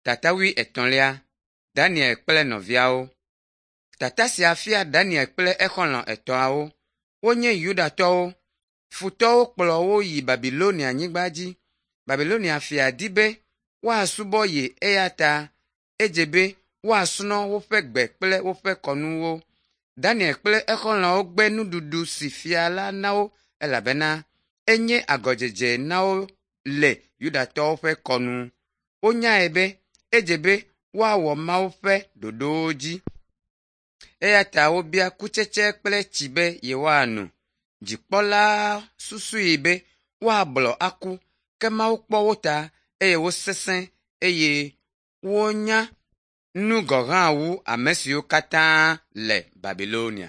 Tata wuietɔ̃lia Daniel kple nɔviawo. Tata sia fia Daniel kple exɔlɔ̃ etɔ̃awo. Wonye Yudatɔwo. Futɔwo kplɔ wo yi Babilonianyigba dzi. Babilonia fia di be woasubɔ ye eya ta edze be woasrɔ̃ woƒe gbe kple woƒe kɔnuwo. Daniel kple exɔlɔ̃wo gbe nuɖuɖu si fia la na wo elabena enye agɔdzedze na wo le Yudatɔwo ƒe kɔnu. Wonyae be edze be woawɔ Mawu ƒe ɖoɖowo dzi. Eya ta wobia kutsetse kple tsi be yewoano. Dzikpɔla susui be woablɔ aku, ke Mawu kpɔ wo ta eye wosesẽ eye wonya nu gɔ̃ hã wu ame siwo katã le Babilonia.